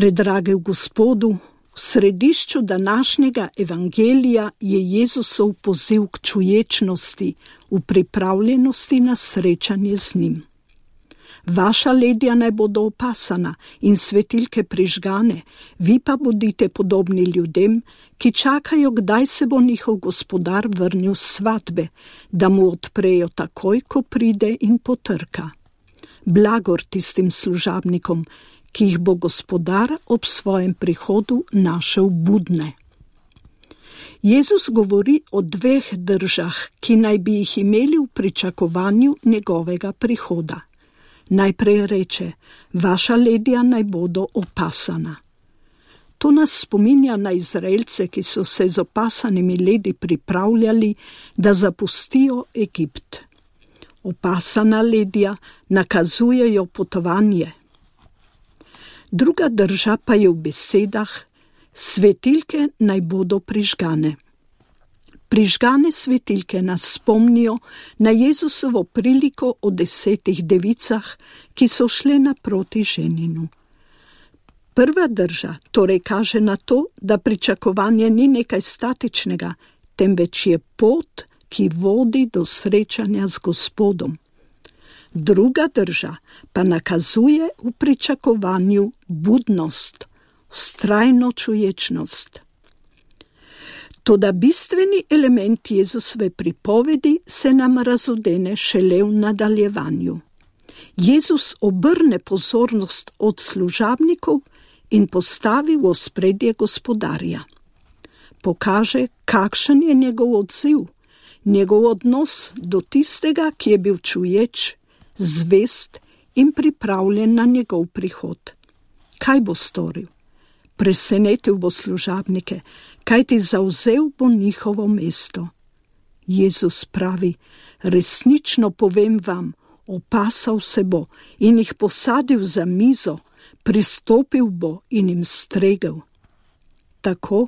Predragi v Gospodu, v središču današnjega evangelija je Jezusov poziv k čuječnosti, v pripravljenosti na srečanje z njim. Vaša ledja naj bodo opasana in svetilke prižgane, vi pa bodite podobni ljudem, ki čakajo, kdaj se bo njihov gospodar vrnil s svatbe, da mu odprejo takoj, ko pride in potrka. Blagor tistim služabnikom, ki jih bo gospodar ob svojem prihodu našel budne. Jezus govori o dveh držah, ki naj bi jih imeli v pričakovanju njegovega prihoda. Najprej reče, vaša ledja naj bodo opasana. To nas spominja na Izraelce, ki so se z opasanimi ledi pripravljali, da zapustijo Egipt. Opasana ledja nakazujejo potovanje. Druga drža pa je v besedah, svetilke naj bodo prižgane. Prižgane svetilke nas spomnijo na Jezusovo priliko o 10 devicah, ki so šle naproti ženinu. Prva drža torej kaže na to, da pričakovanje ni nekaj statičnega, temveč je pot, ki vodi do srečanja z Gospodom. Druga drža pa nakazuje v pričakovanju budnost, vztrajno čuječnost. Toda bistveni element Jezusove pripovedi se nam razodene šele v nadaljevanju. Jezus obrne pozornost od služabnikov in postavi v ospredje gospodarja. Pokaže, kakšen je njegov odziv, njegov odnos do tistega, ki je bil čuječ, zvest in pripravljen na njegov prihod. Kaj bo storil? Presenetil bo služabnike, kajti zavzel bo njihovo mesto. Jezus pravi, resnično povem vam, opasal se bo in jih posadil za mizo, pristopil bo in jim stregel. Tako,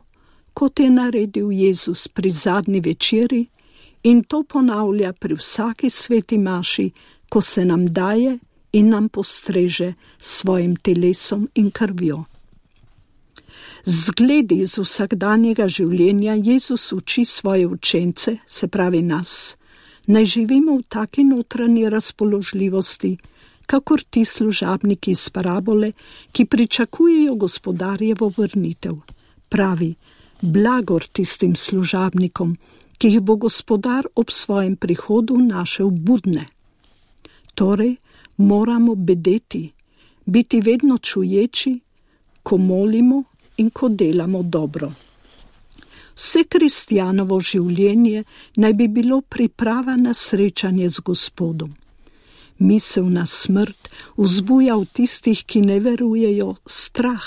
kot je naredil Jezus pri zadnji večeri in to ponavlja pri vsaki sveti maši, ko se nam daje in nam postreže s svojim telesom in krvjo. Zgledi iz vsakdanjega življenja Jezus uči svoje učence, se pravi nas, naj živimo v taki notranji razpoložljivosti, kakor ti služabniki iz parabole, ki pričakujejo gospodarjevo vrnitev. Pravi, blagor tistim služabnikom, ki jih bo gospodar ob svojem prihodu našel budne. Torej, moramo bedeti, biti vedno čuječi, ko molimo in ko delamo dobro. Vse kristjanovo življenje naj bi bilo priprava na srečanje z Gospodom. Misel na smrt vzbuja v tistih, ki ne verujejo, strah.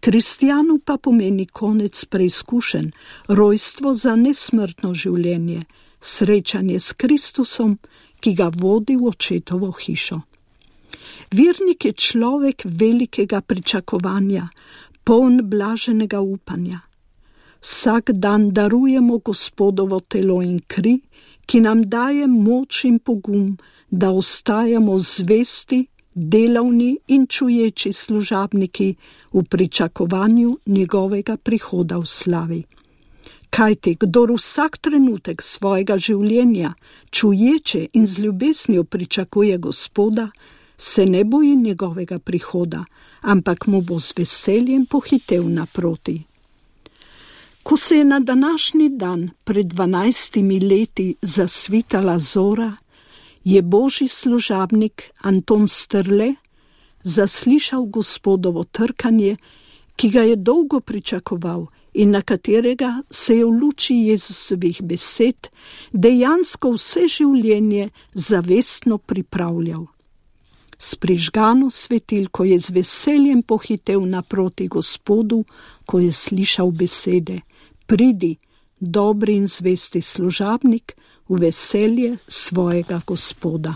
Kristjanu pa pomeni konec preizkušenj, rojstvo za nesmrtno življenje, srečanje s Kristusom, ki ga vodi v očetovo hišo. Vernik je človek velikega pričakovanja, poln blaženega upanja. Vsak dan darujemo Gospodovo telo in kri, ki nam daje moč in pogum, da ostajamo zvesti, delavni in čuječi služabniki v pričakovanju njegovega prihoda v slavi. Kajti, kdor vsak trenutek svojega življenja čuječe in z ljubeznijo pričakuje Gospoda, se ne boji njegovega prihoda, ampak mu bo z veseljem pohitel naproti. Ko se je na današnji dan pred 12 leti zasvitala zora, je božji služabnik Anton Strle zaslišal Gospodovo trkanje, ki ga je dolgo pričakoval in na katerega se je v luči Jezusovih besed dejansko vse življenje zavestno pripravljal. S prižgano svetilko je z veseljem pohitel naproti Gospodu, ko je slišal besede: pridi, dobri in zvesti služabnik, v veselje svojega Gospoda.